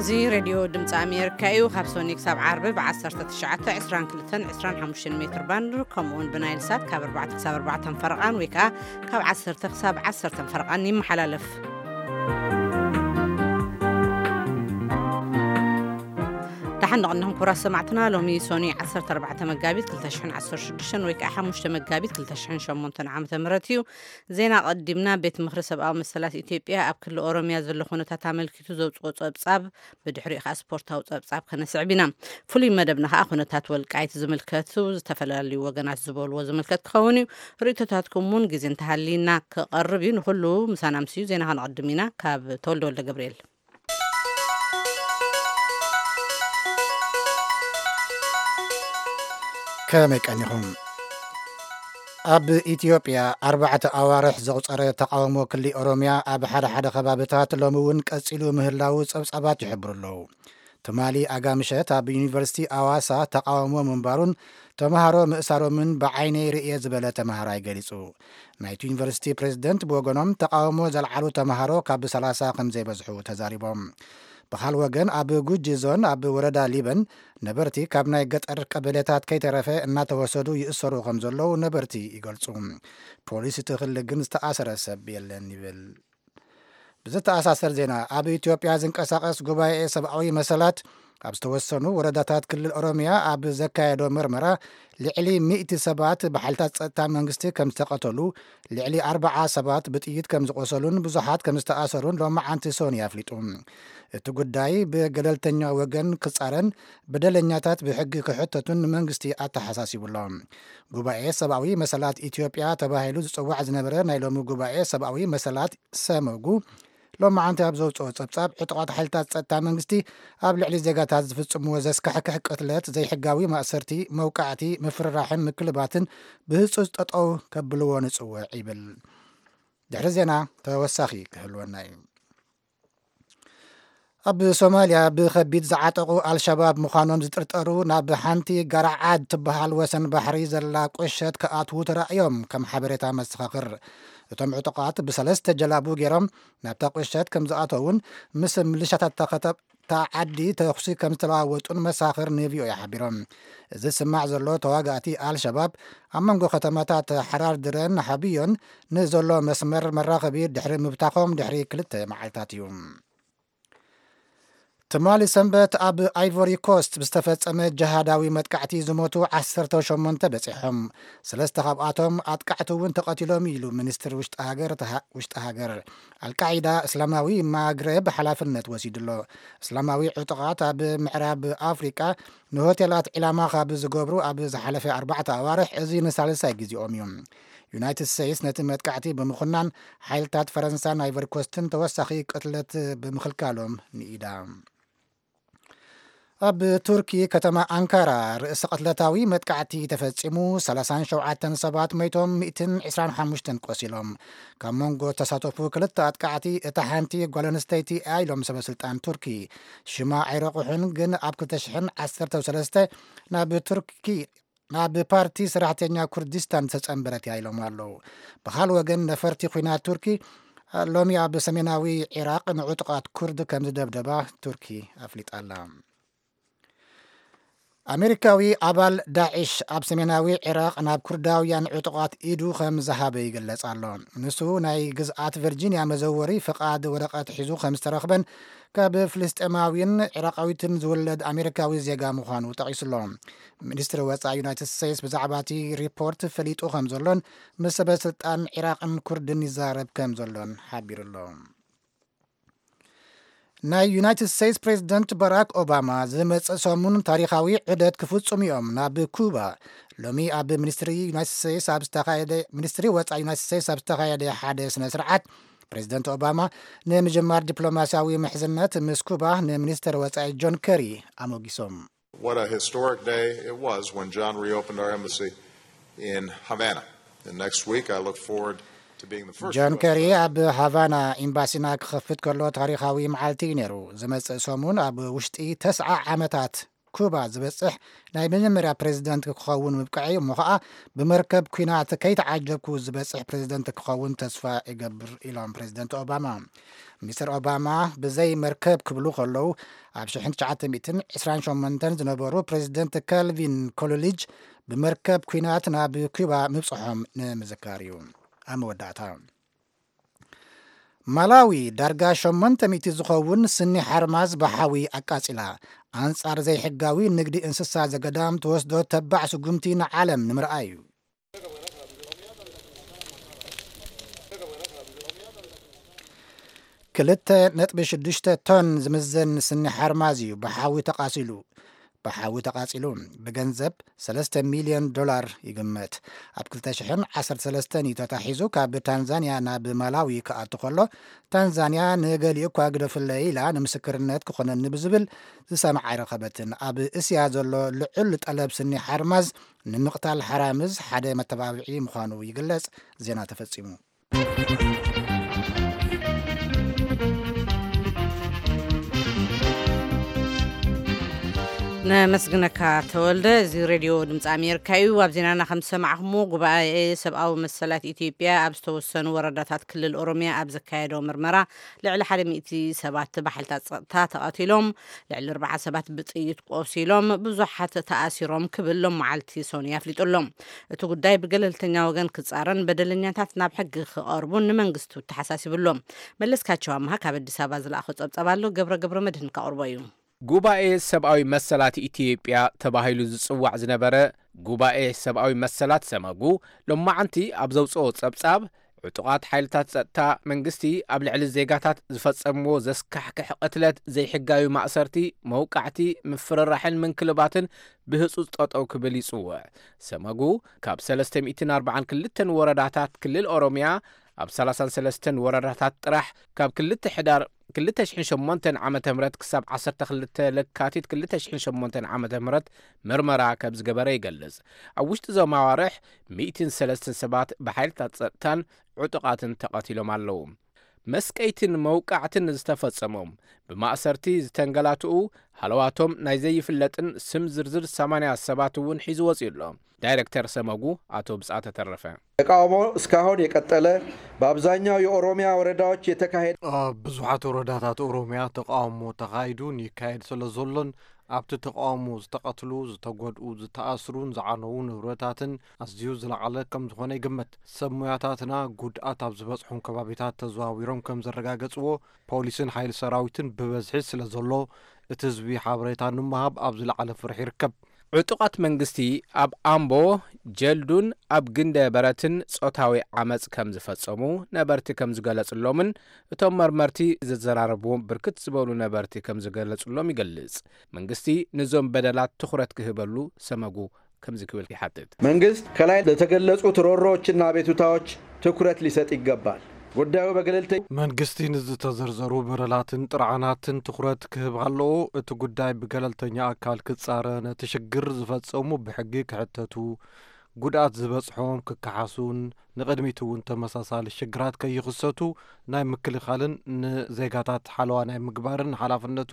እዚ ሬድዮ ድምፂ ኣሜሪካ እዩ። ካብ ሶኒ ክሳብ ዓርቢ ብ1922-25 ሜትር ባንድ፣ ከምኡ እውን ብናይል ሳት ካብ ኣርባዕተ ክሳብ ኣርባዕተ ፈረቓን ወይ ከዓ ካብ ዓሰርተ ክሳብ ዓሰርተ ፈረቓን ይመሓላለፍ። ደሓን ንቕንኹም ክቡራት ሰማዕትና። ሎሚ ሶኒ ዓሰርተ ኣርባዕተ መጋቢት ክልተ ሽሕን ዓሰርተ ሽዱሽተን ወይ ከዓ ሓሙሽተ መጋቢት ክልተ ሽሕን ሸሞንተን ዓመተ ምህረት እዩ። ዜና ቀዲምና። ቤት ምኽሪ ሰብኣዊ መሰላት ኢትዮጵያ ኣብ ክልል ኦሮሚያ ዘሎ ኩነታት ኣመልኪቱ ዘውፅኦ ጸብጻብ፣ ብድሕሪኡ ከዓ ስፖርታዊ ጸብጻብ ከነስዕብ ኢና። ፍሉይ መደብና ከዓ ኩነታት ወልቃይት ዝምልከቱ ዝተፈላለዩ ወገናት ዝበልዎ ዝምልከት ክኸውን እዩ። ርእይቶታትኩም እውን ግዜ እንተሃልይና ክቐርብ እዩ። ንኹሉ ምሳና ምስዩ ዜና ከነቐድም ኢና። ካብ ተወልደ ወልደ ገብርኤል። ከመይ ቀኒኹም? ኣብ ኢትዮጵያ ኣርባዕተ ኣዋርሕ ዘቑጸረ ተቓውሞ ክሊ ኦሮሚያ ኣብ ሓደ ሓደ ከባብታት ሎሚ እውን ቀጺሉ ምህላዉ ጸብጻባት ይሕብሩ ኣለዉ። ትማሊ ኣጋምሸት ኣብ ዩኒቨርሲቲ ኣዋሳ ተቓውሞ ምንባሩን ተምሃሮ ምእሳሮምን ብዓይነይ ርእየ ዝበለ ተምሃራይ ገሊጹ። ናይቲ ዩኒቨርሲቲ ፕሬዝደንት ብወገኖም ተቓውሞ ዘልዓሉ ተምሃሮ ካብ ሰላሳ ከም ዘይበዝሑ ተዛሪቦም። ብኻል ወገን ኣብ ጉጂ ዞን ኣብ ወረዳ ሊበን ነበርቲ ካብ ናይ ገጠር ቀበሌታት ከይተረፈ እናተወሰዱ ይእሰሩ ከም ዘለዉ ነበርቲ ይገልጹ። ፖሊስ እቲ ክሊ ግን ዝተኣሰረ ሰብ የለን ይብል። ብዝተኣሳሰር ዜና፣ ኣብ ኢትዮጵያ ዝንቀሳቐስ ጉባኤ ሰብኣዊ መሰላት ኣብ ዝተወሰኑ ወረዳታት ክልል ኦሮሚያ ኣብ ዘካየዶ መርመራ ልዕሊ ሚእቲ ሰባት ብሓይልታት ጸጥታ መንግስቲ ከም ዝተቐተሉ፣ ልዕሊ ኣርባዓ ሰባት ብጥይት ከም ዝቖሰሉን ብዙሓት ከም ዝተኣሰሩን ሎማዓንቲ ሶኒ ኣፍሊጡ። እቲ ጉዳይ ብገለልተኛ ወገን ክጻረን በደለኛታት ብሕጊ ክሕተቱን ንመንግስቲ ኣተሓሳሲቡ ኣሎ። ጉባኤ ሰብኣዊ መሰላት ኢትዮጵያ ተባሂሉ ዝጽዋዕ ዝነበረ ናይ ሎሚ ጉባኤ ሰብኣዊ መሰላት ሰመጉ ሎማዓንቲ ኣብ ዘውፅኦ ጸብጻብ፣ ዕጡቓት ሓይልታት ጸጥታ መንግስቲ ኣብ ልዕሊ ዜጋታት ዝፍጽምዎ ዘስካሕክሕ ቅትለት፣ ዘይሕጋዊ ማእሰርቲ፣ መውቃዕቲ፣ ምፍርራሕን ምክልባትን ብህጹጽ ጠጠው ከብልዎ ንጽውዕ ይብል። ድሕሪ ዜና ተወሳኺ ክህልወና እዩ። ኣብ ሶማልያ ብኸቢድ ዝዓጠቑ ኣልሸባብ ምዃኖም ዝጥርጠሩ ናብ ሓንቲ ጋራዓድ ትበሃል ወሰን ባሕሪ ዘላ ቁሸት ክኣትዉ ተራእዮም፣ ከም ሓበሬታ መሰኻኽር። እቶም ዕጡቓት ብሰለስተ ጀላቡ ገይሮም ናብታ ቁሸት ከም ዝኣተዉን ምስ ምልሻታት እታ ከተማ፣ እታ ዓዲ ተኹሲ ከም ዝተለዋወጡን መሳኽር ንቪኦኤ ሓቢሮም። እዚ ዝስማዕ ዘሎ፣ ተዋጋእቲ ኣልሸባብ ኣብ መንጎ ከተማታት ሓራር ድረን ሓብዮን ንዘሎ መስመር መራኸቢ ድሕሪ ምብታኾም ድሕሪ ክልተ መዓልታት እዩ። ትማሊ ሰንበት ኣብ ኣይቮሪ ኮስት ብዝተፈጸመ ጀሃዳዊ መጥቃዕቲ ዝሞቱ ዓሰርተ ሸሞንተ በጺሖም። ሰለስተ ካብኣቶም ኣጥቃዕቲ እውን ተቐቲሎም ኢሉ ሚኒስትሪ ውሽጢ ሃገር፣ ውሽጢ ሃገር። ኣልቃዒዳ እስላማዊ ማግረብ ሓላፍነት ወሲዱ ኣሎ። እስላማዊ ዕጡቓት ኣብ ምዕራብ ኣፍሪቃ ንሆቴላት ዒላማ ካብ ዝገብሩ ኣብ ዝሓለፈ ኣርባዕተ ኣዋርሕ እዚ ንሳልሳይ ግዜኦም እዩ። ዩናይትድ ስቴትስ ነቲ መጥቃዕቲ ብምኹናን፣ ሓይልታት ፈረንሳን ኣይቨርኮስትን ተወሳኺ ቅትለት ብምኽልካሎም ንኢዳ። ኣብ ቱርኪ ከተማ ኣንካራ ርእሰ ቅትለታዊ መጥቃዕቲ ተፈጺሙ፣ ሰላሳን ሸውዓተን ሰባት መይቶም፣ ሚእትን ዕስራን ሓሙሽተን ቆሲሎም። ካብ መንጎ ተሳተፉ ክልተ ኣጥቃዕቲ እታ ሓንቲ ጓል ኣንስተይቲ እያ ኢሎም ሰበ ስልጣን ቱርኪ። ሽማ ኣይረቑሑን፣ ግን ኣብ ክልተ ሽሕን ዓሰርተ ሰለስተ ናብ ቱርኪ ናብ ፓርቲ ሰራሕተኛ ኩርዲስታን ዝተጸንበረት እያ ኢሎም ኣለዉ። ብኻል ወገን፣ ነፈርቲ ኲናት ቱርኪ ሎሚ ኣብ ሰሜናዊ ዒራቕ ንዕጡቓት ኩርድ ከም ዝደብደባ ቱርኪ ኣፍሊጣ ኣላ። ኣሜሪካዊ ኣባል ዳዒሽ ኣብ ሰሜናዊ ዒራቕ ናብ ኩርዳውያን ዕጡቓት ኢዱ ከም ዝሃበ ይግለጽ ኣሎ። ንሱ ናይ ግዝኣት ቨርጂንያ መዘወሪ ፍቓድ ወረቐት ሒዙ ከም ዝተረኽበን ካብ ፍልስጤማዊን ዒራቓዊትን ዝውለድ ኣሜሪካዊ ዜጋ ምዃኑ ጠቒሱ ኣሎ። ሚኒስትሪ ወጻኢ ዩናይትድ ስቴትስ ብዛዕባ እቲ ሪፖርት ፈሊጡ ከም ዘሎን ምስ ሰበ ስልጣን ዒራቕን ኩርድን ይዛረብ ከም ዘሎን ሓቢሩ ኣሎ። ናይ ዩናይትድ ስቴትስ ፕሬዝደንት ባራክ ኦባማ ዝመጽእ ሰሙን ታሪኻዊ ዑደት ክፍጽሙ እዮም ናብ ኩባ። ሎሚ ኣብ ሚኒስትሪ ዩናይትድ ስቴትስ ኣብ ዝተኻየደ፣ ሚኒስትሪ ወጻኢ ዩናይትድ ስቴትስ ኣብ ዝተኻየደ ሓደ ስነ ስርዓት፣ ፕሬዝደንት ኦባማ ንምጅማር ዲፕሎማስያዊ ምሕዝነት ምስ ኩባ ንሚኒስትር ወጻኢ ጆን ከሪ ኣሞጊሶም። What a historic day it was when John reopened our embassy in Havana. And next week, I look forward to being the first ጆን U S ከሪ president ኣብ ሃቫና ኤምባሲና ክኸፍት ከሎ ታሪኻዊ መዓልቲ እዩ ነይሩ። ዝመጽእ ሰሙን ኣብ ውሽጢ ተስዓ ዓመታት ኩባ ዝበጽሕ ናይ መጀመርያ ፕሬዚደንት ክኸውን ምብቅዐይ፣ እሞ ኸኣ ብመርከብ ኲናት ከይተዓጀብኩ ዝበጽሕ ፕሬዚደንት ክኸውን ተስፋ እገብር፣ ኢሎም ፕሬዚደንት ኦባማ። ሚስተር ኦባማ ብዘይ መርከብ ክብሉ ከለዉ፣ ኣብ ሽሕን ትሽዓተ ሚእትን ዕስራን ሸሞንተን ዝነበሩ ፕሬዚደንት ካልቪን ኮሎሊጅ ብመርከብ ኲናት ናብ ኩባ ምብጽሖም ንምዝካር እዩ። ኣብ መወዳእታ፣ ማላዊ ዳርጋ ሸሞንተ ሚእቲ ዝኸውን ስኒ ሓርማዝ ብሓዊ ኣቃጺላ። ኣንጻር ዘይሕጋዊ ንግዲ እንስሳ ዘገዳም ትወስዶ ተባዕ ስጉምቲ ንዓለም ንምርኣይ እዩ። ክልተ ነጥቢ ሽዱሽተ ቶን ዝምዘን ስኒ ሓርማዝ እዩ ብሓዊ ተቓሲሉ። ብሓዊ ተቓጺሉ። ብገንዘብ ሰለስተ ሚልዮን ዶላር ይግመት። ኣብ ክልተ ሽሕን ዓሰርተ ሰለስተን እዩ ተታሒዙ ካብ ታንዛንያ ናብ ማላዊ ክኣቱ ከሎ፣ ታንዛንያ ንገሊኡ እኳ ግደፍለይ ኢላ ንምስክርነት ክኾነኒ ብዝብል ዝሰምዓ ኣይረኸበትን። ኣብ እስያ ዘሎ ልዑል ጠለብ ስኒ ሓርማዝ ንምቕታል ሓራምዝ ሓደ መተባብዒ ምዃኑ ይግለጽ። ዜና ተፈጺሙ። ነመስግነካ ተወልደ። እዚ ሬድዮ ድምፂ ኣሜሪካ እዩ። ኣብ ዜናና ከም ዝሰማዕኹምዎ፣ ጉባኤ ሰብኣዊ መሰላት ኢትዮጵያ ኣብ ዝተወሰኑ ወረዳታት ክልል ኦሮሚያ ኣብ ዘካየዶ ምርመራ፣ ልዕሊ ሓደ ሚእቲ ሰባት ብሓይልታት ጸጥታ ተቐቲሎም፣ ልዕሊ ኣርባዓ ሰባት ብጥይት ቆሲሎም፣ ብዙሓት ተኣሲሮም ክብል ሎማዓልቲ ሶኒ ኣፍሊጡ ኣሎ። እቲ ጉዳይ ብገለልተኛ ወገን ክጻረን በደለኛታት ናብ ሕጊ ክቐርቡን ንመንግስቱ ተሓሳሲቡ ኣሎ። መለስካቸው ኣምሃ ካብ ኣዲስ ኣበባ ዝለኣኾ ጸብጻብ ኣሎ፣ ገብረ ገብረ መድህን ከቕርቦ እዩ። ጉባኤ ሰብኣዊ መሰላት ኢትዮጵያ ተባሂሉ ዝጽዋዕ ዝነበረ ጉባኤ ሰብኣዊ መሰላት ሰመጉ፣ ሎማዓንቲ ኣብ ዘውጽኦ ጸብጻብ፣ ዕጡቓት ሓይልታት ጸጥታ መንግስቲ ኣብ ልዕሊ ዜጋታት ዝፈጸምዎ ዘስካሕክሕ ቅትለት፣ ዘይሕጋዊ ማእሰርቲ፣ መውቃዕቲ፣ ምፍርራሕን ምንክልባትን ብህጹጽ ጠጠው ክብል ይጽውዕ። ሰመጉ፣ ካብ ሰለስተ ሚእትን ኣርባዓን ክልተን ወረዳታት ክልል ኦሮሚያ፣ ኣብ ሰላሳን ሰለስተን ወረዳታት ጥራሕ ካብ ክልተ ሕዳር ክልተ ሽሕን ሸሞንተን ዓመተ ምህረት ክሳብ ዓሰርተ ክልተ ለካቲት ክልተ ሽሕን ሸሞንተን ዓመተ ምህረት ምርመራ ከም ዝገበረ ይገልጽ። ኣብ ውሽጢ እዞም ኣዋርሕ ሚእትን ሰለስተን ሰባት ብሓይልታት ጸጥታን ዕጡቓትን ተቐቲሎም ኣለዉ። መስቀይትን መውቃዕትን ዝተፈጸሞም፣ ብማእሰርቲ ዝተንገላትኡ፣ ሃለዋቶም ናይ ዘይፍለጥን ስም ዝርዝር ሰማንያ ሰባት እውን ሒዙ ወጺኡ ኣሎ። ዳይሬክተር ሰመጉ ኣቶ ብጻተ ተረፈ። ተቃውሞ እስካሁን የቀጠለ፣ በአብዛኛው የኦሮሚያ ወረዳዎች የተካሄደ ኣብ ብዙሓት ወረዳታት ኦሮሚያ ተቃውሞ ተኻይዱን ይካየድ ስለ ዘሎን፣ ኣብቲ ተቃውሞ ዝተቐትሉ፣ ዝተጎድኡ፣ ዝተኣስሩን ዝዓነዉ ንብረታትን ኣዝዩ ዝለዓለ ከም ዝኾነ ይግመት። ሰብ ሞያታትና ጉድኣት ኣብ ዝበጽሖም ከባቢታት ተዘዋዊሮም ከም ዘረጋገጽዎ፣ ፖሊስን ሓይሊ ሰራዊትን ብበዝሒ ስለ ዘሎ፣ እቲ ህዝቢ ሓበሬታ ንምሃብ ኣብ ዝለዓለ ፍርሒ ይርከብ። ዕጡቓት መንግስቲ ኣብ ኣምቦ፣ ጀልዱን ኣብ ግንደ በረትን ጾታዊ ዓመጽ ከም ዝፈጸሙ ነበርቲ ከም ዝገለጽሎምን፣ እቶም መርመርቲ ዘዘራረብዎም ብርክት ዝበሉ ነበርቲ ከም ዝገለጽሎም ይገልጽ። መንግስቲ ነዞም በደላት ትኹረት ክህበሉ ሰመጉ ከምዚ ክብል ይሓትት። መንግስት ከላይ ለተገለጹት ሮሮዎችና አቤቱታዎች ትኩረት ሊሰጥ ይገባል። ጉዳዩ በገለልተኛ መንግስቲ ንዝተዘርዘሩ በደላትን ጥርዓናትን ትኹረት ክህብ ኣለዎ። እቲ ጉዳይ ብገለልተኛ ኣካል ክጻረ፣ ነቲ ሽግር ዝፈጸሙ ብሕጊ ክሕተቱ፣ ጉድኣት ዝበጽሖም ክከሓሱን ንቕድሚት እውን ተመሳሳሊ ሽግራት ከይኽሰቱ ናይ ምክልኻልን ንዜጋታት ሓለዋ ናይ ምግባርን ሓላፍነቱ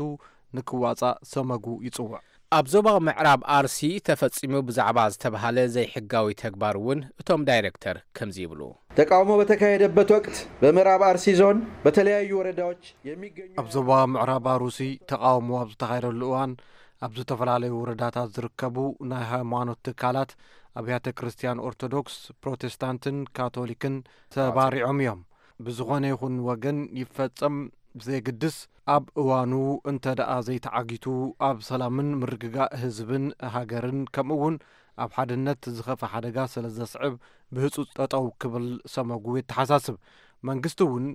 ንክዋጻእ ሰመጉ ይጽውዕ። ኣብ ዞባ ምዕራብ ኣርሲ ተፈጺሙ ብዛዕባ ዝተባሃለ ዘይሕጋዊ ተግባር እውን እቶም ዳይሬክተር ከምዚ ይብሉ። ተቃውሞ በተካሄደበት ወቅት በምዕራብ አርሲ ዞን በተለያዩ ወረዳዎች የሚገኙ ኣብ ዞባ ምዕራብ ኣርሲ ተቃውሞ ኣብ ዝተኻየደሉ እዋን፣ ኣብ ዝተፈላለዩ ወረዳታት ዝርከቡ ናይ ሃይማኖት ትካላት፣ ኣብያተ ክርስቲያን ኦርቶዶክስ፣ ፕሮቴስታንትን ካቶሊክን ተባሪዖም እዮም። ብዝኾነ ይኹን ወገን ይፈጸም ብዘየግድስ፣ ኣብ እዋኑ እንተ ደኣ ዘይተዓጊቱ፣ ኣብ ሰላምን ምርግጋእ ህዝብን ሃገርን፣ ከምኡ እውን ኣብ ሓድነት ዝኸፍእ ሓደጋ ስለ ዘስዕብ፣ ብህጹጽ ጠጠው ክብል ሰመጉ የተሓሳስብ። መንግስቲ እውን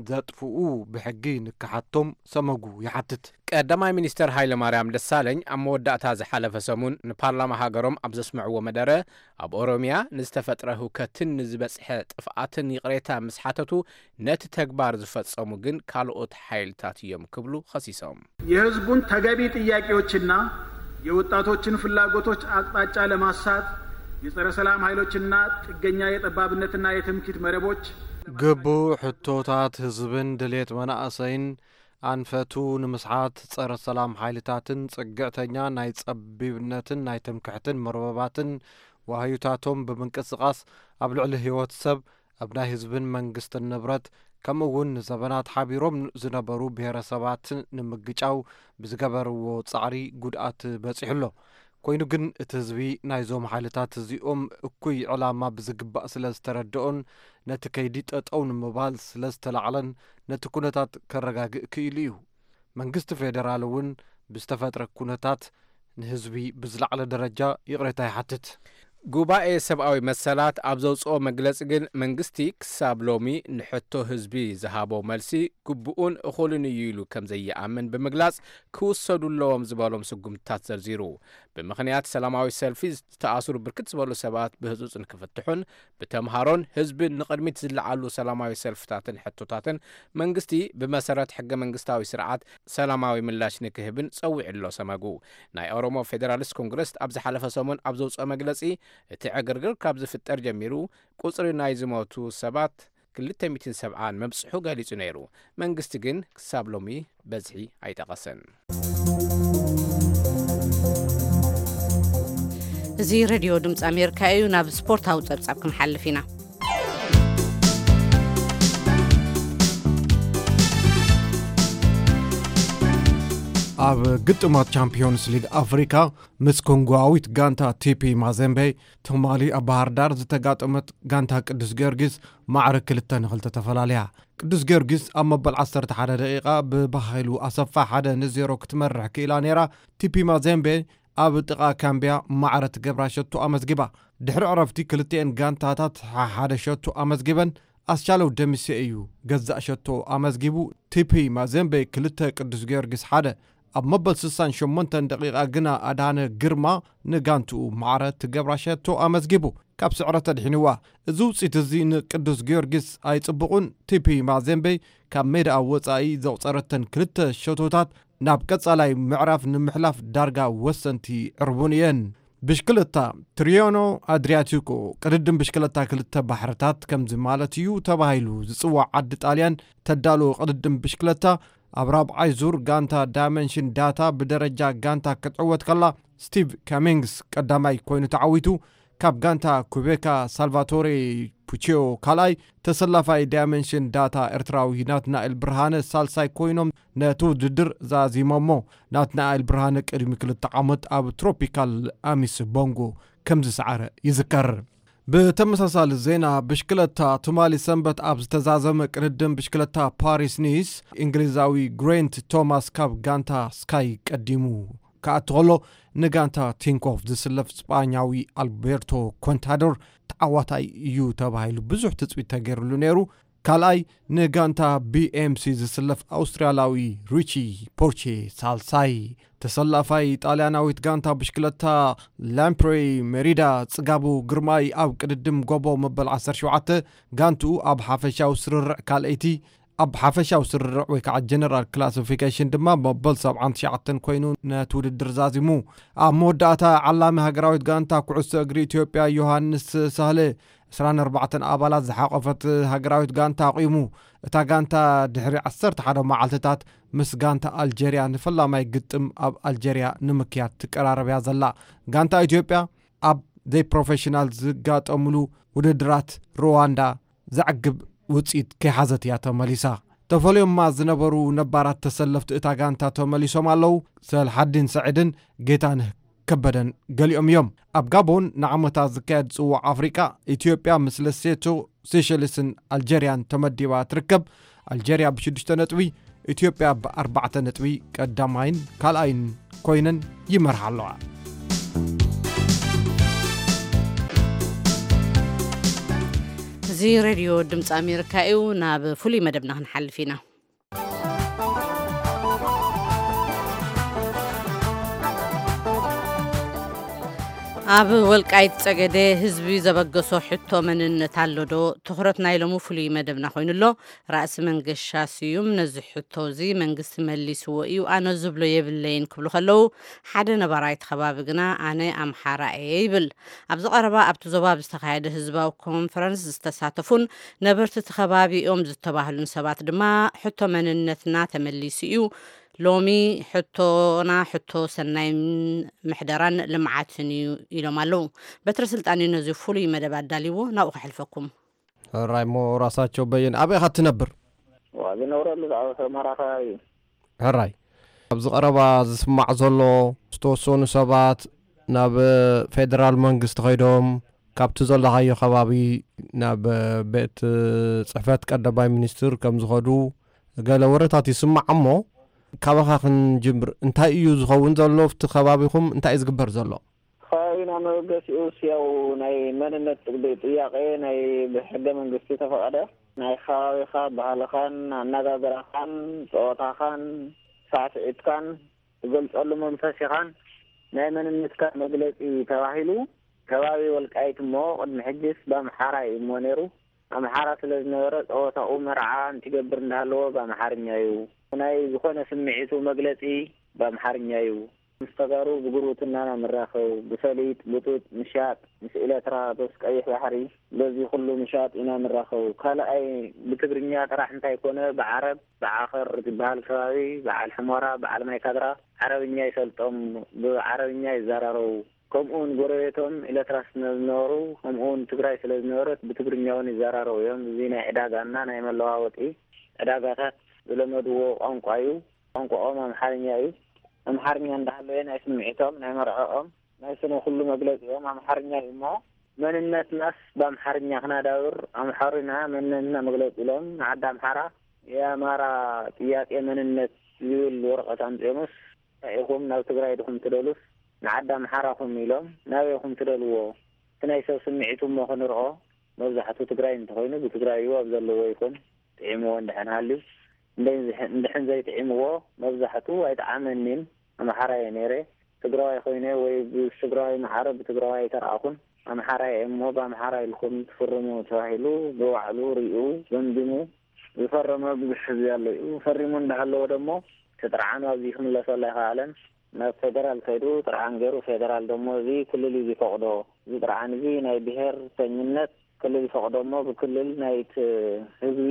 ዘጥፍኡ ብሕጊ ንክሓቶም ሰመጉ ይሓትት። ቀዳማይ ሚኒስተር ሃይለማርያም ደሳለኝ ኣብ መወዳእታ ዝሓለፈ ሰሙን ንፓርላማ ሃገሮም ኣብ ዘስምዕዎ መደረ፣ ኣብ ኦሮሚያ ንዝተፈጥረ ህውከትን ንዝበጽሐ ጥፍኣትን ይቕሬታ ምስ ሓተቱ፣ ነቲ ተግባር ዝፈጸሙ ግን ካልኦት ሓይልታት እዮም ክብሉ ኸሲሶም። የህዝቡን ተገቢ ጥያቄዎችና የወጣቶችን ፍላጎቶች አቅጣጫ ለማሳት የጸረ ሰላም ኃይሎችና ጥገኛ የጠባብነትና የትምክህት መረቦች ግቡእ ሕቶታት ህዝብን ድሌት መናእሰይን ኣንፈቱ ንምስሓት ጸረ ሰላም ሓይልታትን ጽግዕተኛ ናይ ጸቢብነትን ናይ ትምክሕትን መርበባትን ዋህዩታቶም ብምንቅስቓስ ኣብ ልዕሊ ህይወት ሰብ፣ ኣብ ናይ ህዝብን መንግስትን ንብረት፣ ከምኡ እውን ንዘበናት ሓቢሮም ዝነበሩ ብሄረሰባት ንምግጫው ብዝገበርዎ ጻዕሪ ጉድኣት በጺሑ ኣሎ። ኮይኑ ግን እቲ ህዝቢ ናይዞም ሓይልታት እዚኦም እኩይ ዕላማ ብዝግባእ ስለ ዝተረድኦን ነቲ ከይዲ ጠጠው ንምባል ስለ ዝተላዕለን ነቲ ኩነታት ከረጋግእ ክኢሉ እዩ። መንግስቲ ፌደራል እውን ብዝተፈጥረ ኩነታት ንህዝቢ ብዝለዓለ ደረጃ ይቕሬታ ይሓትት። ጉባኤ ሰብኣዊ መሰላት ኣብ ዘውፅኦ መግለፂ ግን መንግስቲ ክሳብ ሎሚ ንሕቶ ህዝቢ ዝሃቦ መልሲ ግቡኡን እኹልን እዩ ኢሉ ከም ዘይኣምን ብምግላፅ ክውሰዱ ኣለዎም ዝበሎም ስጉምትታት ዘርዚሩ። ብምኽንያት ሰላማዊ ሰልፊ ዝተኣስሩ ብርክት ዝበሉ ሰባት ብህፁፅ ንክፍትሑን ብተምሃሮን ህዝብን ንቕድሚት ዝለዓሉ ሰላማዊ ሰልፍታትን ሕቶታትን መንግስቲ ብመሰረት ሕገ መንግስታዊ ስርዓት ሰላማዊ ምላሽ ንክህብን ጸዊዑ ኣሎ ሰመጉ። ናይ ኦሮሞ ፌዴራሊስት ኮንግረስ ኣብ ዝሓለፈ ሰሙን ኣብ ዘውፅኦ መግለፂ እቲ ዕግርግር ካብ ዝፍጠር ጀሚሩ ቁፅሪ ናይ ዝሞቱ ሰባት ክልተ ሚእትን ሰብዓን ምብፅሑ ገሊፁ ነይሩ። መንግስቲ ግን ክሳብ ሎሚ በዝሒ ኣይጠቐሰን። እዚ ሬድዮ ድምፂ ኣሜሪካ እዩ። ናብ ስፖርታዊ ጸብጻብ ክንሓልፍ ኢና። ኣብ ግጥማት ቻምፒዮንስ ሊግ ኣፍሪካ ምስ ኮንጎኣዊት ጋንታ ቲፒ ማዘምቤ ትማሊ ኣብ ባህር ዳር ዝተጋጠመት ጋንታ ቅዱስ ጊዮርጊስ ማዕረ ክልተ ንክልተ ተፈላለያ። ቅዱስ ጊዮርጊስ ኣብ መበል ዓሰርተ ሓደ ደቂቓ ብባሃይሉ ኣሰፋ ሓደ ንዜሮ ክትመርሕ ክኢላ ነይራ። ቲፒ ማዜምቤ ኣብ ጥቓ ካምቢያ ማዕረ ትገብራ ሸቶ ኣመዝጊባ። ድሕሪ ዕረፍቲ ክልቲኤን ጋንታታት ሓደ ሸቶ ኣመዝጊበን። ኣስቻለው ደምሴ እዩ ገዛእ ሸቶ ኣመዝጊቡ። ቲፒ ማዜምቤ ክልተ፣ ቅዱስ ጊዮርጊስ ሓደ። ኣብ መበል ስሳን ሸሞንተን ደቂቓ ግና ኣድሃነ ግርማ ንጋንትኡ ማዕረ ትገብራ ሸቶ ኣመዝጊቡ። ካብ ስዕረት ኣድሒንዋ። እዚ ውፅኢት እዚ ንቅዱስ ጊዮርጊስ ኣይፅቡቑን። ቲፒ ማዜምቤ ካብ ሜዳኣ ወፃኢ ዘቑፀረተን ክልተ ሸቶታት ናብ ቀፃላይ ምዕራፍ ንምሕላፍ ዳርጋ ወሰንቲ ዕርቡን እየን። ብሽክለታ፣ ትሪዮኖ ኣድሪያቲኮ ቅድድም ብሽክለታ ክልተ ባሕርታት ከምዚ ማለት እዩ ተባሂሉ ዝፅዋዕ ዓዲ ጣልያን ተዳሎ ቅድድም ብሽክለታ ኣብ ራብዓይ ዙር ጋንታ ዳይመንሽን ዳታ ብደረጃ ጋንታ ክትዕወት ከላ፣ ስቲቭ ካሚንግስ ቀዳማይ ኮይኑ ተዓዊቱ። ካብ ጋንታ ኩቤካ ሳልቫቶሬ ፑቺዮ ካልኣይ፣ ተሰላፋይ ዳይመንሽን ዳታ ኤርትራዊ ናትናኤል ብርሃነ ሳልሳይ ኮይኖም ነቲ ውድድር ዛዚሞሞ። ናትናኤል ብርሃነ ቅድሚ ክልተ ዓመት ኣብ ትሮፒካል ኣሚስ ቦንጎ ከም ዝሰዓረ ይዝከር። ብተመሳሳሊ ዜና ብሽክለታ፣ ትማሊ ሰንበት ኣብ ዝተዛዘመ ቅድድም ብሽክለታ ፓሪስ ኒስ፣ እንግሊዛዊ ግሬንት ቶማስ ካብ ጋንታ ስካይ ቀዲሙ ክኣቱ ከሎ፣ ንጋንታ ቲንኮፍ ዝስለፍ ስጳኛዊ ኣልቤርቶ ኮንታዶር ተዓዋታይ እዩ ተባሂሉ ብዙሕ ትጽቢት ተገይሩሉ ነይሩ። ካልኣይ፣ ንጋንታ ቢኤምሲ ዝስለፍ ኣውስትራልያዊ ሪቺ ፖርቼ ሳልሳይ። ተሰላፋይ ጣልያናዊት ጋንታ ብሽክለታ ላምፕሬ ሜሪዳ ጽጋቡ ግርማይ ኣብ ቅድድም ጎቦ መበል ዓሰርተ ሸውዓተ ጋንትኡ ኣብ ሓፈሻዊ ስርርዕ ካልኣይቲ፣ ኣብ ሓፈሻዊ ስርርዕ ወይ ከዓ ጀነራል ክላሲፊኬሽን ድማ መበል ሰብዓን ትሽዓተን ኮይኑ ነቲ ውድድር ዛዚሙ። ኣብ መወዳእታ ዓላሚ ሃገራዊት ጋንታ ኩዕሶ እግሪ ኢትዮጵያ ዮሃንስ ሳህለ ዕስራን ኣርባዕተን ኣባላት ዝሓቖፈት ሃገራዊት ጋንታ ኣቑሙ። እታ ጋንታ ድሕሪ ዓሰርተ ሓደ መዓልትታት ምስ ጋንታ ኣልጀርያ ንፈላማይ ግጥም ኣብ ኣልጀርያ ንምክያድ ትቀራረብ እያ ዘላ። ጋንታ ኢትዮጵያ ኣብ ዘይፕሮፌሽናል ዝጋጠምሉ ውድድራት ሩዋንዳ ዘዕግብ ውፅኢት ከይሓዘት እያ ተመሊሳ። ተፈልዮማ ዝነበሩ ነባራት ተሰለፍቲ እታ ጋንታ ተመሊሶም ኣለዉ። ሰልሓዲን ሰዒድን ጌታነህ ከበደን ገሊኦም እዮም። ኣብ ጋቦን ንዓመታ ዝካየድ ጽዋዕ ኣፍሪቃ፣ ኢትዮጵያ ምስ ለሴቶ ሴሸልስን ኣልጀርያን ተመዲባ ትርከብ። ኣልጀርያ ብሽዱሽተ ነጥቢ፣ ኢትዮጵያ ብኣርባዕተ ነጥቢ ቀዳማይን ካልኣይን ኮይነን ይመርሓ ኣለዋ። እዚ ሬድዮ ድምፂ ኣሜሪካ እዩ። ናብ ፍሉይ መደብና ክንሓልፍ ኢና። ኣብ ወልቃይት ጸገዴ ህዝቢ ዘበገሶ ሕቶ መንነት ኣሎ ዶ? ትኹረት ናይ ሎሚ ፍሉይ መደብና ኮይኑ ኣሎ። ራእሲ መንገሻ ስዩም ነዚ ሕቶ እዚ መንግስቲ መሊስዎ እዩ፣ ኣነ ዝብሎ የብለይን ክብሉ ከለዉ፣ ሓደ ነባራይ እቲ ከባቢ ግና ኣነ ኣምሓራ እየ ይብል። ኣብዚ ቀረባ ኣብቲ ዞባ ብዝተኻየደ ህዝባዊ ኮንፈረንስ ዝተሳተፉን ነበርቲ እቲ ከባቢ እዮም ዝተባህሉን ሰባት ድማ ሕቶ መንነትና ተመሊሱ እዩ፣ ሎሚ ሕቶና ሕቶ ሰናይ ምሕደራን ልምዓትን እዩ ኢሎም ኣለዉ። በትረ ስልጣን እዩ ነዚ ፍሉይ መደብ ኣዳልይዎ፣ ናብኡ ከሕልፈኩም። ሕራይ እሞ ራሳቸው በየን ኣበይ ኢኻ ትነብር? ዝነብረሉ ኣብ ኣስመራ ከባቢ እዩ። ሕራይ ኣብዚ ቀረባ ዝስማዕ ዘሎ ዝተወሰኑ ሰባት ናብ ፌደራል መንግስቲ ከይዶም ካብቲ ዘለኻዮ ከባቢ ናብ ቤት ጽሕፈት ቀዳማይ ሚኒስትር ከም ዝኸዱ ገለ ወረታት ይስማዕ። እሞ ካባኻ ክንጅምር፣ እንታይ እዩ ዝኸውን ዘሎ? ኣብቲ ከባቢኹም እንታይ እዩ ዝግበር ዘሎ? ከባቢና መበገሲኡስ ያው ናይ መንነት ጥያቄ ናይ ብሕገ መንግስቲ ተፈቐደ ናይ ከባቢኻ ባህልኻን ኣነጋግራኻን ጸወታኻን ሳዕስዒትካን ትገልጸሉ መንፈስ ኢኻን ናይ መንነትካ መግለጺ ተባሂሉ ከባቢ ወልቃይት እሞ ቅድሚ ሕጅስ ብኣምሓራ እዩ እሞ ነይሩ። ኣምሓራ ስለ ዝነበረ ጸወታኡ መርዓ እንትገብር እንዳሃለዎ ብኣምሓርኛ እዩ። ናይ ዝኾነ ስምዒቱ መግለጺ ብኣምሓርኛ እዩ። ምስ ተጋሩ ብጉርብትና ኢና ንራኸብ፣ ብፈሊጥ፣ ብጡጥ፣ ምሻጥ፣ ምስ ኤለትራ፣ በስ ቀይሕ ባሕሪ፣ በዚ ኩሉ ምሻጥ ኢና ንራኸብ። ካልኣይ ብትግርኛ ጥራሕ እንታይ ኮነ ብዓረብ፣ ብዓኸር ዝበሃል ከባቢ፣ በዓል ሕሞራ፣ በዓል ማይ ካድራ ዓረብኛ ይሰልጦም፣ ብዓረብኛ ይዘራረቡ። ከምኡውን ጎረቤቶም ኤለትራ ስለ ዝነበሩ፣ ከምኡውን ትግራይ ስለ ዝነበረት ብትግርኛ እውን ይዘራረቡ እዮም። እዚ ናይ ዕዳጋና ናይ መለዋወጢ ዕዳጋታት ዝለመድዎ ቋንቋ እዩ። ቋንቋኦም ኣምሓርኛ እዩ። ኣምሓርኛ እንዳሃለወ ናይ ስምዒቶም፣ ናይ መርዕኦም፣ ናይ ስነ ኩሉ መግለጺኦም ኣምሓርኛ እዩ እሞ መንነትናስ ብኣምሓርኛ ክናዳብር ኣምሓሩና መንነትና መግለጺ ኢሎም ንዓዲ ኣምሓራ የኣማራ ጥያቄ መንነት ዝብል ወረቐት ኣምጺኦምስ እንታይ ኢኹም ናብ ትግራይ ድኹም ትደሉስ ንዓዲ ኣምሓራኹም ኢሎም ናበይኹም ትደልዎ? እቲ ናይ ሰብ ስምዒቱ እሞ ክንርኦ መብዛሕቱ ትግራይ እንተኾይኑ ብትግራዩ ኣብ ዘለዎ ይኹን ጥዒምዎ እንድሕን ሃልዩ እንድሕን ዘይጥዒምዎ መብዛሕቱ ኣይጠዓመኒን ኣምሓራ እየ ነይረ ትግራዋይ ኮይነ ወይ ብትግራዋይ ማዕረ ብትግራዋይ ኣይተረኣኹን ኣምሓራ እየ እሞ ብኣምሓራ ኢልኩም ትፍርሙ ተባሂሉ ብባዕሉ ሪኡ ገምጊሙ ዝፈረመ ብዙሕ ህዝቢ ኣሎ እዩ ፈሪሙ እንዳሃለወ ደሞ እቲ ጥርዓኑ ኣብዚ ክምለሰሉ ኣይኸኣለን ናብ ፌደራል ከይዱ ጥርዓን ገይሩ ፌደራል ደሞ እዚ ክልል እዩ ዝፈቕዶ እዚ ጥርዓን እዚ ናይ ብሄርተኝነት ክልል ይፈቕዶ እሞ ብክልል ናይቲ ህዝቢ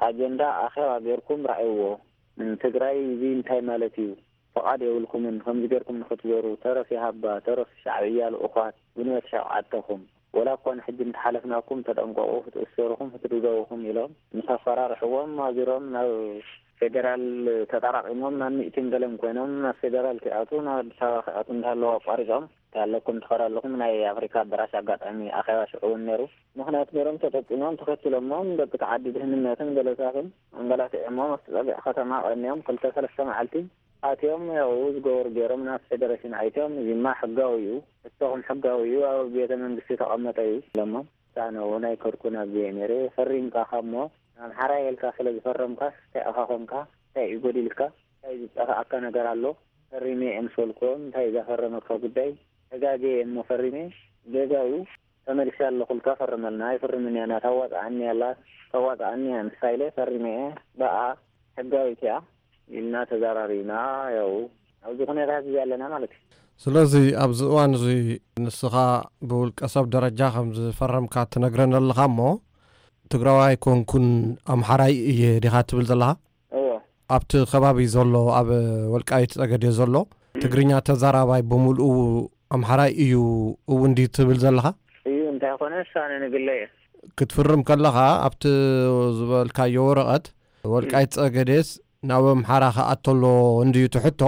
ኣጀንዳ ኣኼባ ጌርኩም ረኣይዎ። ንትግራይ እዚ እንታይ ማለት እዩ? ፍቓድ የብልኩምን። ከምዚ ጌርኩም ንኽትዞሩ ተረፍ ይሃባ፣ ተረፍ ሻዕብያ ልኡኻት፣ ጉልበት ሸውዓተኹም። ወላ እኳ ንሕጂ እንተሓለፍናኩም ተጠንቀቑ፣ ክትእሰሩኹም ክትድብደቡኹም ኢሎም ምስ ኣፈራርሕዎም ኣዚሮም ናብ ፌደራል ተጠራቒሞም ናብ ሚእቲን ገለን ኮይኖም ናብ ፌደራል ክኣትዉ ናብ ኣዲስ ኣበባ ክኣትዉ እንዳሃለዉ ኣቋሪጾም። ኣለኩም ትኸዱ ኣለኹም ናይ ኣፍሪካ ኣዳራሽ ኣጋጣሚ ኣኼባ ሽዑ እውን ነይሩ ምኽንያት ገይሮም ተጠቂሞም ተኸትሎሞም ደቂ ተዓዲ ድህንነትን ገለታትን ኣንገላቲዖሞም ኣብቲ ፀግዒ ከተማ ቀንዮም ክልተ ሰለስተ መዓልቲ ኣትዮም ያው ዝገበሩ ገይሮም ናብ ፌደሬሽን ኣይትዮም እዚማ ሕጋዊ እዩ ሕቶኹም ሕጋዊ እዩ ኣብ ቤተ መንግስቲ ተቐመጠ እዩ ኢሎሞም ኣነ እውን ኣይከድኩን ኣብዚየ ነይረ ፈሪምካ ካሞ ኣምሓራይ ኢልካ ስለ ዝፈረምካስ እንታይ ኢኻ ኮንካ እንታይ እዩ ጎዲልካ እንታይ ዝጠፋኣካ ነገር ኣሎ ፈሪመ እየ ምስ በልክዎ እንታይ እዩ ዘፈረመካ ጉዳይ ተጋግየ እየ እሞ ፈሪመ ጌጋ እዩ ተመሊሰ ኣለኹ ኢልካ ፈርመልና ኣይፍርምን እያ ናታ ኣዋፅኣኒ ኣላ ተዋፅኣኒ እያ ንሳ ኢለ ፈሪመ እየ ብኣ ሕጋዊት እያ ኢልና ተዘራሪብና ያው ኣብዚ ኩነታት እዚ ኣለና ማለት እዩ ስለዚ ኣብዚ እዋን እዚ ንስኻ ብውልቀ ሰብ ደረጃ ከም ዝፈረምካ ትነግረን ኣለኻ እሞ ትግራዋይ ኮንኩን ኣምሓራይ እየ ዲኻ ትብል ዘለኻ እዎ ኣብቲ ከባቢ ዘሎ ኣብ ወልቃይት ጸገዴ ዘሎ ትግርኛ ተዛራባይ ብምልኡ ኣምሓራይ እዩ እውን ድዩ ትብል ዘለኻ? እዩ እንታይ ኮነ ሳነ ንግለ እየ ክትፍርም ከለኻ ኣብቲ ዝበልካዮ ወረቐት ወልቃይት ጸገዴስ ናብ ኣምሓራ ክኣተሎ እንድዩ ትሕቶ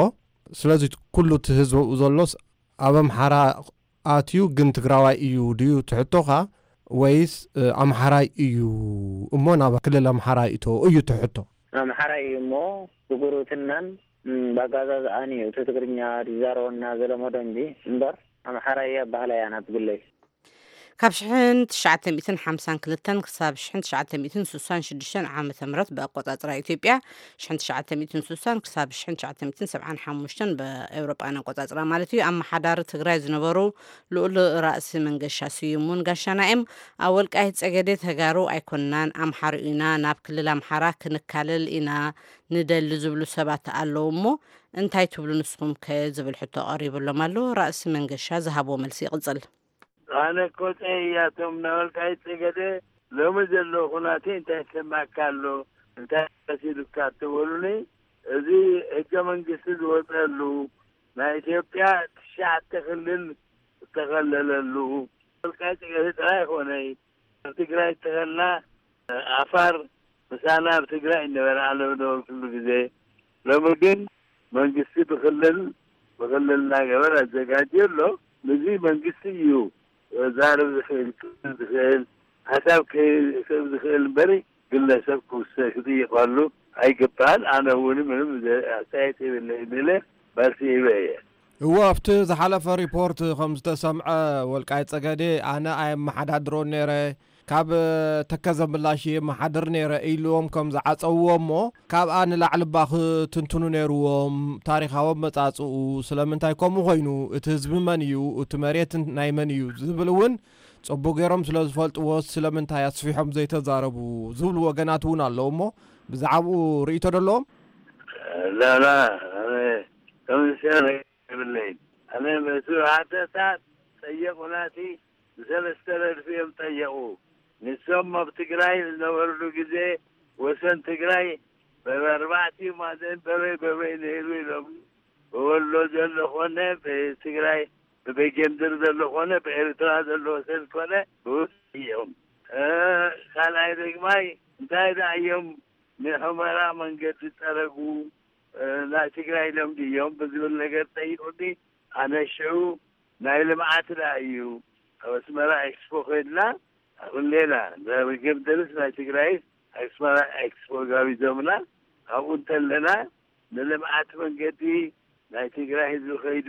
ስለዚ ኩሉ እቲ ህዝቢ ኣብኡ ዘሎስ ኣብ ኣምሓራ ኣትዩ ግን ትግራዋይ እዩ ድዩ ትሕቶኻ ወይስ ኣምሓራይ እዩ እሞ ናብ ክልል ኣምሓራ ይእቶ እዩ ትሕቶ? ኣምሓራይ እዩ እሞ ብጉርብትናን ባጋዛዝኣን እዩ እቲ ትግርኛ ዝዛረበና ዘለመዶ እንጂ እምበር ኣምሓራይ እየ ኣባህላ እያ ናብ ግለይ። ካብ ሽሕን ትሽዓተ ሚእትን ሓምሳን ክልተን ክሳብ ሽሕን ትሽዓተ ሚእትን ስሳን ሽዱሽተን ዓመተ ምህረት ብኣቆጻጽራ ኢትዮጵያ፣ ሽሕን ትሽዓተ ሚእትን ስሳን ክሳብ ሽሕን ትሽዓተ ሚእትን ሰብዓን ሓሙሽተን ብኤውሮጳን ኣቆጻጽራ ማለት እዩ፣ ኣመሓዳሪ ትግራይ ዝነበሩ ልኡል ራእሲ መንገሻ ስዩም እውን ጋሻና እዮም። ኣብ ወልቃይት ጸገዴ ተጋሩ ኣይኮንናን፣ ኣምሓሩ ኢና፣ ናብ ክልል ኣምሓራ ክንካለል ኢና ንደሊ ዝብሉ ሰባት ኣለዉ እሞ፣ እንታይ ትብሉ ንስኹም ከ ዝብል ሕቶ ቀሪብሎም ኣሎ። ራእሲ መንገሻ ዝሃብዎ መልሲ ይቕጽል። ኣነ እኮ ጠይ እያቶም ናይ ወልቃይት ጸገዴ ሎሚ ዘሎ ኩናቴ እንታይ ይሰማካ ኣሎ? እንታይ መሲሉካ? እተበሉኒ፣ እዚ ሕገ መንግስቲ ዝወፀሉ ናይ ኢትዮጵያ ትሽዓተ ክልል ዝተኸለለሉ፣ ወልቃይት ጸገዴ ጥራይ ኣይኮነይ፣ ኣብ ትግራይ እተኸልና፣ ኣፋር ምሳና ኣብ ትግራይ ነበረ፣ ኣነ ብነበርኩሉ ግዜ። ሎሚ ግን መንግስቲ ብክልል፣ ብክልል እናገበረ ኣዘጋጅዮ ኣሎ። ንዚ መንግስቲ እዩ ዛረብ ዝኽእል፣ ክብል ዝኽእል፣ ሓሳብ ክህብ ዝኽእል እምበሪ፣ ግለሰብ ክውሰ-፣ ክጥይቐሉ ኣይግባእን። ኣነ እውን ምንም ዘ-፣ ኣስተያየት የብለይን ኢለ መልሲ ሂበ እየ። እወ፣ ኣብቲ ዝሓለፈ ሪፖርት ከም ዝተሰምዐ፣ ወልቃይት ጸገዴ ኣነ ኣየመሓዳድሮን ነይረ፣ ካብ ተከዘ ምላሽ የመሓድር ነይረ ኢልዎም ከም ዝዓጸውዎ እሞ፣ ካብኣ ንላዕሊ እባ ክትንትኑ ነይርዎም። ታሪኻዊ ኣመጻጽኡ ስለምንታይ ከምኡ ኮይኑ፣ እቲ ህዝቢ መን እዩ፣ እቲ መሬት ናይ መን እዩ ዝብል እውን ጽቡቅ ገይሮም ስለ ዝፈልጥዎ፣ ስለምንታይ ኣስፊሖም ዘይተዛረቡ ዝብሉ ወገናት እውን ኣለዉ እሞ፣ ብዛዕባኡ ርእይቶ ዶ ኣለዎም? ላላ፣ ኣነ ከም ዝሰረ የብለይን። ኣነ ምስ ሓተታ ጠየቑናቲ፣ ብሰለስተ ረድፊ እዮም ጠየቑ። ንሶም ኣብ ትግራይ ዝነበሩሉ ግዜ ወሰን ትግራይ በበ-፣ ኣርባዕቲኡ ማዕዘን በበይ በበይ ነይሩ ኢሎም። ብወሎ ዘሎ ኾነ፣ ብትግራይ፣ ብበጌምድር ዘሎ ኾነ፣ ብኤርትራ ዘሎ ወሰን ኮነ፣ ብውስ እዮም። እ፣ ካልኣይ ደግማይ፣ እንታይ ደኣ እዮም ንሑመራ መንገዲ ዝጠረጉ? እ፣ ናይ ትግራይ ኢሎም ድዮም ብዝብል ነገር ጠይቁኒ። ኣነ ሽዑ ናይ ልምዓት ደኣ እዩ። ኣብ ኣስመራ ኤክስፖ ኮይንና፣ ኣብ ሌላ፣ ናይ በጌምድርስ ናይ ትግራይስ ኣስመራ ኤክስፖ ጋቢዞምና። ኣብኡ እንተለና፣ ንልምዓት መንገዲ ናይ ትግራይ ህዝቢ ከይዱ፣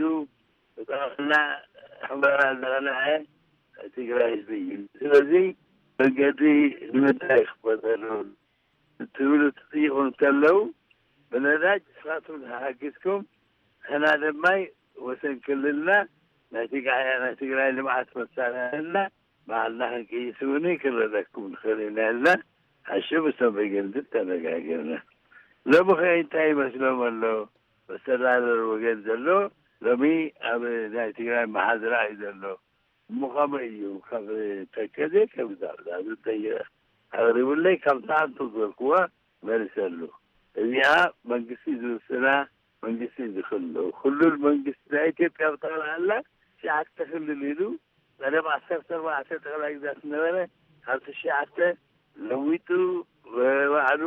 ብጠቕላላ ሑመራ ዘቕነዐ ናይ ትግራይ ህዝቢ እዩ። ስለዚ መንገዲ ንምንታይ ክፈተሉ? ትብሉ ትጥይቑ እንተለዉ፣ ብነዳጅ ንስኻትኩም ተሓጊዝኩም፣ ንሕና ድማ ወሰን ክልልና ናይ ትግራይ፣ ናይ ትግራይ ልምዓት መሳርሕና ባዕልና ክንቅይስ እውን ክንረደኩም ንኽእል ኢና ኢልና፣ ሓሹ ምስቶም በጌምድር ተነጋጊርና። ሎሚ ኸ እንታይ ይመስሎም ኣሎ? መስተዳደር ወገን ዘሎ ሎሚ ኣብ ናይ ትግራይ መሓዝራ እዩ ዘሎ። እሞ ከመይ እዩ ካብ ተከዘ ከም ዛብዛ ዝጠይቀ ኣቕሪቡለይ፣ ካብ ሰዓቱ ዝበልክዋ መሊሰሉ። እዚኣ መንግስቲ ዝውስና፣ መንግስቲ ዝኽሉ፣ ክልል መንግስቲ ናይ ኢትዮጵያ ብጠቕላላ ትሽዓተ ክልል ኢሉ፣ ቀደም ዓሰርተ ኣርባዕተ ጠቕላይ ግዛት ዝነበረ፣ ካብ ትሽዓተ ለዊጡ፣ ባዕሉ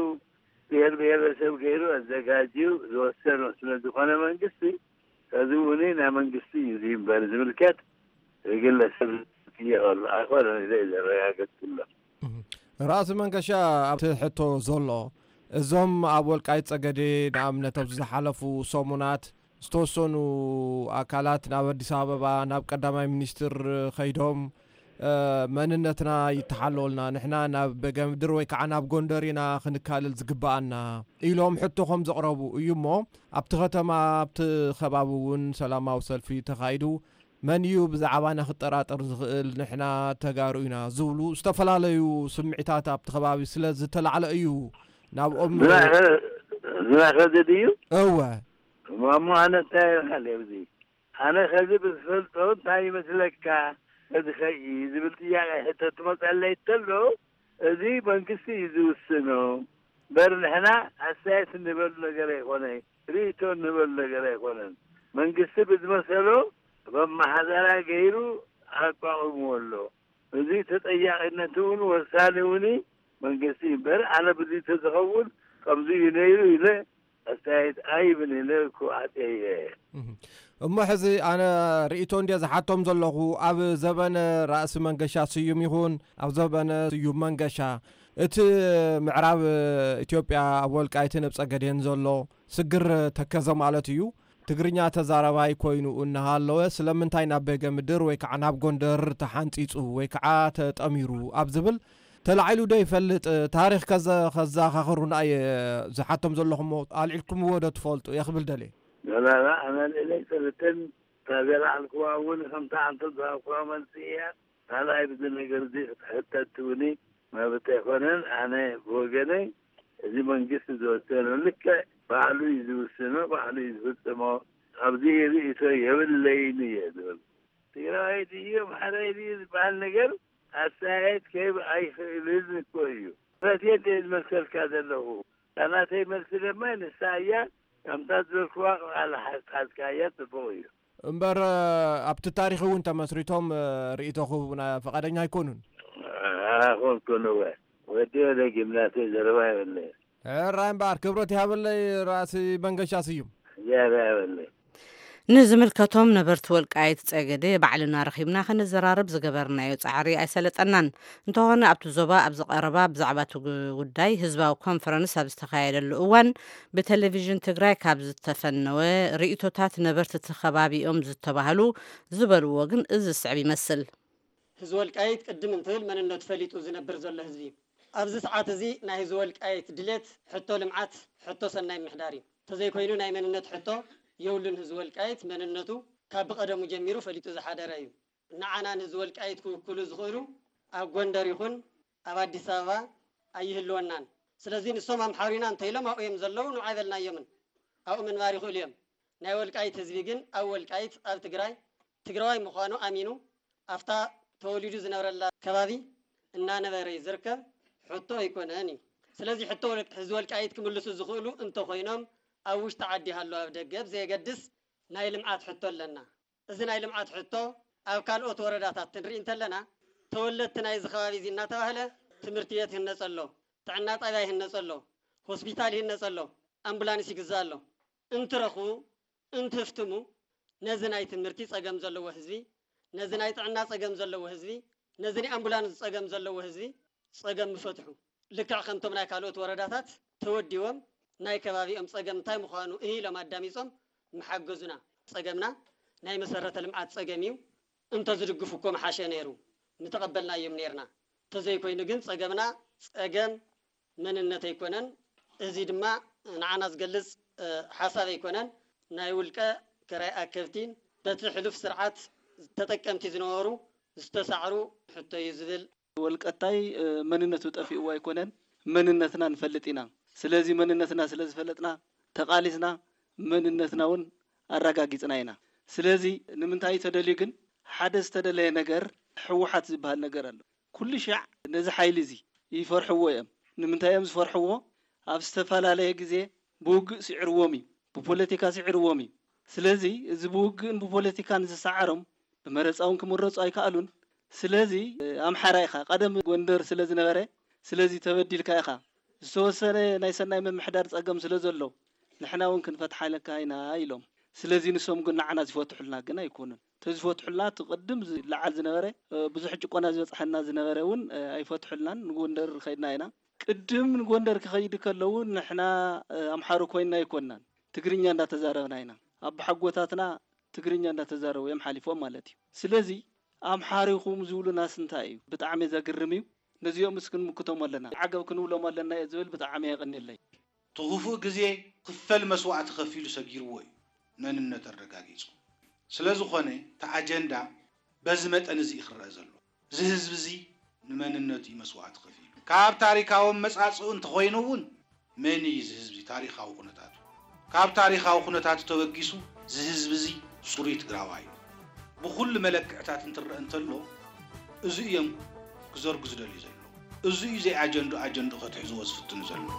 ብሔር ብሔረሰብ ገይሩ ኣዘጋጅዩ ዝወሰኖ ስለ ዝኾነ መንግስቲ፣ እዚ እውን ናይ መንግስቲ እዩ፣ እዚ እምበር ዝምልከት ግለሰብ ዝጥየቐሉ ኣይኮነን ኢለ እየ ዘረጋገጽኩሎም። እህ። ራእሲ መንገሻ፣ ኣብቲ ሕቶ ዘሎ፣ እዞም ኣብ ወልቃይት ጸገዴ ንኣብነት ኣብዚ ዝሓለፉ ሰሙናት ዝተወሰኑ ኣካላት ናብ ኣዲስ ኣበባ ናብ ቀዳማይ ሚኒስትር ከይዶም፣ እ፣ መንነትና ይተሓለወልና፣ ንሕና ናብ በገምድር ወይ ከዓ ናብ ጎንደር ኢና ክንካለል ዝግበኣና ኢሎም ሕቶ ከም ዘቕረቡ እዩ እሞ፣ ኣብቲ ከተማ፣ ኣብቲ ከባቢ እውን ሰላማዊ ሰልፊ ተኻይዱ። መን እዩ ብዛዕባና ክጠራጠር ዝኽእል? ንሕና ተጋሩ ኢና ዝብሉ ዝተፈላለዩ ስምዒታት ኣብቲ ከባቢ ስለ ዝተላዕለ እዩ ናብኦም። ዝናኸ-፣ ዝናኸ ዘድዩ? እወ። እሞ ኣነ እንታይ ይበሃል ኣብዚ? ኣነ ከዚ ብዝፈልጦ እንታይ ይመስለካ? እዚ ኸይ ዝብል ጥያቄ ሕቶ ትመፀለይ እንተሎ፣ እዚ መንግስቲ እዩ ዝውስኖ። እምበር ንሕና ኣስተያየት እንበሉ ነገር ኣይኮነ፣ ርእይቶ እንበሉ ነገር ኣይኮነን። መንግስቲ ብዝመሰሎ መመሓደራ ገይሩ ኣቋቑምዎ ኣሎ። እዚ ተጠያቂነት እውን ወሳኒ እውን መንግስቲ እምበር፣ ኣነ ብዚ ተዝኸውን ከምዚ እዩ ነይሩ ኢለ ኣስተያየት ኣይብን ኢለ ክዋዕጥ እየ። እህ። እሞ ሕዚ ኣነ ርእይቶ እንድየ ዝሓቶም ዘለኹ፣ ኣብ ዘበነ ራእሲ መንገሻ ስዩም ይኹን ኣብ ዘበነ ስዩም መንገሻ፣ እቲ ምዕራብ ኢትዮጵያ ኣብ ወልቃይትን ኣብ ጸገዴን ዘሎ ስግር ተከዘ ማለት እዩ፣ ትግርኛ ተዛራባይ ኮይኑ እናሃለወ ስለምንታይ ናብ ቤገ ምድር ወይ ከዓ ናብ ጎንደር ተሓንፂፁ ወይ ከዓ ተጠሚሩ ኣብ ዝብል ተላዒሉ ዶ ይፈልጥ? ታሪኽ ከዘ-፣ ከዘኻኽሩና እየ ዝሓቶም ዘለኹሞ ኣልዒልኩምዎ ዶ ትፈልጡ እየ ክብል ደልየ። ላላ ኣማኑኤለይ ሰለተን እታ ዘለዓልኩዋ እውን ከምታ ኣንተ ዝሃብኩዋ መልሲ እያ። ካልኣይ ብዚ ነገር እዚ ክትሕተት ትብሊ መብት ኣይኮነን። ኣነ ብወገነይ እዚ መንግስቲ ዝወሰኖ ልክዕ ባዕሉ እዩ ዝውስኖ፣ ባዕሉ እዩ ዝፍጽሞ። ኣብዚ ርእይቶ የብለይን እየ ዝብል። ትግራዋይ ድዩ ኣምሓራይ ድዩ ዝበሃል ነገር ኣስተያየት ክህብ ኣይኽእልን እኮ እዩ። ፈትየ ዝመልሰልካ ዘለኹ። እታ ናተይ መልሲ ድማ ንሳ እያ። ከምታ ዝበልክዋ ቃል ሓዝካያ ጽቡቕ እዩ። እምበር ኣብቲ ታሪኽ እውን ተመስሪቶም ርእይቶ ክህቡና ፈቓደኛ ኣይኮኑን። ኣይኮንኩን እወ። ወዲ ወደ ጊምናስየ ዘረባ የብለይ። ሕራይ እምበኣር ክብረት ይሃበለይ ራእሲ መንገሻ ስዩም። ዝያዳ የብለይ። ንዝምልከቶም ነበርቲ ወልቃይት ጸገዴ ባዕልና ረኺብና ከነዘራርብ ዝገበርናዮ ጻዕሪ ኣይሰለጠናን። እንተኾነ ኣብቲ ዞባ ኣብዚ ቀረባ ብዛዕባ እቲ ጉ-፣ ጉዳይ ህዝባዊ ኮንፈረንስ ኣብ ዝተኻየደሉ እዋን ብቴሌቪዥን ትግራይ ካብ ዝተፈነወ ርእይቶታት ነበርቲ እቲ ከባቢኦም ዝተባህሉ ዝበልዎ ግን እዚ ዝስዕብ ይመስል። ህዝቢ ወልቃይት ቅድም እንትብል መንነቱ ፈሊጡ ዝነብር ዘሎ ህዝቢ እዩ። ኣብዚ ሰዓት እዚ ናይ ህዝቢ ወልቃይት ድሌት ሕቶ ልምዓት፣ ሕቶ ሰናይ ምሕዳር እዩ። እንተዘይኮይኑ ናይ መንነት ሕቶ የብሉን። ህዝቢ ወልቃይት መንነቱ ካብ ብቐደሙ ጀሚሩ ፈሊጡ ዝሓደረ እዩ። ንዓና ንህዝቢ ወልቃይት ክውክሉ ዝኽእሉ ኣብ ጎንደር ይኹን ኣብ ኣዲስ ኣበባ ኣይህልወናን። ስለዚ ንሶም ኣምሓሩ ኢና እንተኢሎም ኣብኡ እዮም ዘለዉ፣ ንዑ ኣይበልናዮምን። ኣብኡ ምንባር ይኽእሉ እዮም። ናይ ወልቃይት ህዝቢ ግን ኣብ ወልቃይት፣ ኣብ ትግራይ፣ ትግራዋይ ምዃኑ ኣሚኑ ኣብታ ተወሊዱ ዝነብረላ ከባቢ እናነበረ እዩ ዝርከብ። ሕቶ ኣይኮነን እዩ። ስለዚ ሕቶ ወል-፣ ህዝቢ ወልቃይት ክምልሱ ዝኽእሉ እንተኾይኖም ኣብ ውሽጢ ዓዲ ሃለዉ ኣብ ደገ ብዘየገድስ ናይ ልምዓት ሕቶ ኣለና። እዚ ናይ ልምዓት ሕቶ ኣብ ካልኦት ወረዳታት ክንርኢ እንተለና ተወለድቲ ናይዚ ከባቢ እዚ እናተባህለ ትምህርቲ ቤት ይህነጸ ኣሎ፣ ጥዕና ጣብያ ይህነጸ ኣሎ፣ ሆስፒታል ይህነጸ ኣሎ፣ ኣምቡላንስ ይግዛእ ኣሎ። እንትረኽቡ፣ እንትህፍትሙ ነዚ ናይ ትምህርቲ ጸገም ዘለዎ ህዝቢ፣ ነዚ ናይ ጥዕና ጸገም ዘለዎ ህዝቢ፣ ነዚ ናይ ኣምቡላንስ ጸገም ዘለዎ ህዝቢ ጸገም ምፈትሑ። ልክዕ ከምቶም ናይ ካልኦት ወረዳታት ተወዲቦም ናይ ከባቢኦም ጸገም እንታይ ምዃኑ እህ ኢሎም ኣዳሚጾም ምሓገዙና። ጸገምና ናይ መሰረተ ልምዓት ጸገም እዩ። እንተዝድግፉ እኮ ምሓሸ ነይሩ፣ ምተቐበልናዮም ነይርና። እንተዘይኮይኑ ግን ጸገምና ጸገም መንነት ኣይኮነን። እዚ ድማ ንዓና ዝገልጽ፣ እ፣ ሓሳብ ኣይኮነን። ናይ ውልቀ ክራይ ኣከብቲን በቲ ሕሉፍ ስርዓት ተጠቀምቲ ዝነበሩ ዝተሳዕሩ ሕቶ እዩ ዝብል። ወልቀታይ፣ እ፣ መንነቱ ጠፊእዎ ኣይኮነን፣ መንነትና ንፈልጥ ኢና። ስለዚ መንነትና ስለ ዝፈለጥና ተቓሊስና መንነትና እውን ኣረጋጊጽና ኢና። ስለዚ ንምንታይ እዩ ተደልዩ ግን ሓደ ዝተደለየ ነገር ህወሓት ዝበሃል ነገር ኣሎ። ኩሉ ሻዕ ነዚ ሓይሊ እዚ ይፈርሕዎ እዮም። ንምንታይ እዮም ዝፈርሕዎ? ኣብ ዝተፈላለየ ግዜ ብውግእ ስዒርዎም እዩ፣ ብፖለቲካ ስዒርዎም እዩ። ስለዚ እዚ ብውግእን ብፖለቲካን ዝሰዓሮም ብመረፃ እውን ክምረፁ ኣይከኣሉን። ስለዚ ኣምሓራ ኢኻ፣ ቀደም ጎንደር ስለ ዝነበረ፣ ስለዚ ተበዲልካ ኢኻ። ዝተወሰነ ናይ ሰናይ ምምሕዳር ፀገም ስለ ዘሎ ንሕና እውን ክንፈትሓለካ ኢና ኢሎም። ስለዚ ንሶም ግን ንዓና ዝፈትሑልና ግን ኣይኮኑን። ተዝፈትሑልና እቲ ቅድም ዝለዓል ዝነበረ፣ እ፣ ብዙሕ ጭቆና ዝበፅሐና ዝነበረ እውን፣ እ፣ ኣይፈትሑልናን። ንጎንደር ከይድና ኢና። ቅድም ንጎንደር ክኸይድ ከለዉ ንሕና፣ እ፣ ኣምሓሩ ኮይንና ኣይኮንናን። ትግርኛ እንዳተዛረብና ኢና። ኣቦሓጎታትና ትግርኛ እንዳተዛረቡ እዮም ሓሊፎም ማለት እዩ። ስለዚ ኣምሓሩ ኢኹም ዝብሉናስ እንታይ እዩ? ብጣዕሚ ዘግርም እዩ። ነዚኦምስ ክንምክቶም ኣለና። ዓገብ ክንብሎም ኣለና እየ ዝብል። ብጣዕሚ የቐንየለይ። እቲ ክፉእ ግዜ ክፈል መስዋእቲ ከፊሉ ሰጊርዎ እዩ መንነት ኣረጋጊጹ። ስለ ዝኾነ እቲ ኣጀንዳ በዚ መጠን እዚ እዩ ክረአ ዘሎ። እዚ ህዝቢ እዚ ንመንነቱ እዩ መስዋእቲ ከፊሉ። ካብ ታሪካዊ ኣመጻጽኡ እንተኾይኑ እውን መን እዩ እዚ ህዝቢ ታሪካዊ ኩነታቱ? ካብ ታሪካዊ ኩነታቱ ተበጊሱ እዚ ህዝቢ እዚ ጽሩይ ትግራዋይ እዩ። ብኹሉ መለክዕታት እንትረአ እንተሎ እዚ እዮም ክዘርጉ ዝደልዩ ዘለዉ። እዚ እዩ ዘይኣጀንዱ ኣጀንዱ ከትሕዝዎ ዝፍትኑ ዘለዉ።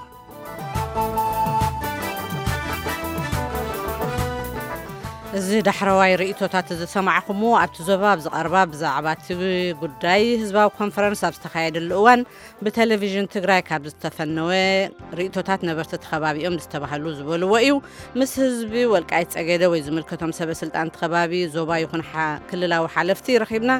እዚ ዳሕረዋይ ርእይቶታት ዝሰማዕኹምዎ ኣብቲ ዞባ ኣብ ዝቐርባ ብዛዕባ እቲ ጉዳይ ህዝባዊ ኮንፈረንስ ኣብ ዝተኻየደሉ እዋን ብቴሌቪዥን ትግራይ ካብ ዝተፈነወ ርእይቶታት ነበርቲ እቲ ከባቢኦም ዝተባህሉ ዝበልዎ እዩ። ምስ ህዝቢ ወልቃይት ጸገደ ወይ ዝምልከቶም ሰበ ስልጣን እቲ ከባቢ፣ ዞባ ይኹን ሓ-፣ ክልላዊ ሓለፍቲ ረኺብና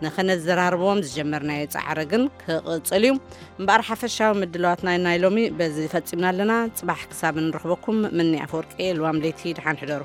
ንኸነዘራርቦም ዝጀመርናዮ ጻዕሪ ግን ክቕጽል እዩ። እምበኣር ሓፈሻዊ ምድላዋትና ናይ ሎሚ በዚ ፈጺምና ኣለና። ጽባሕ ክሳብ እንረኽበኩም ምኒ ኣፈወርቂ፣ ልዋም ለይቲ፣ ደሓን ሕደሩ።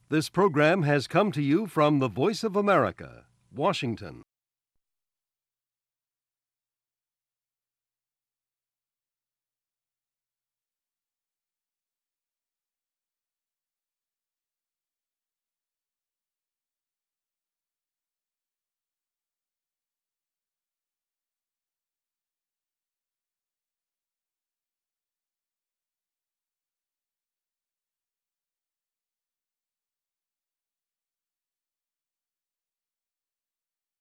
This program has come to you from the Voice of America, Washington.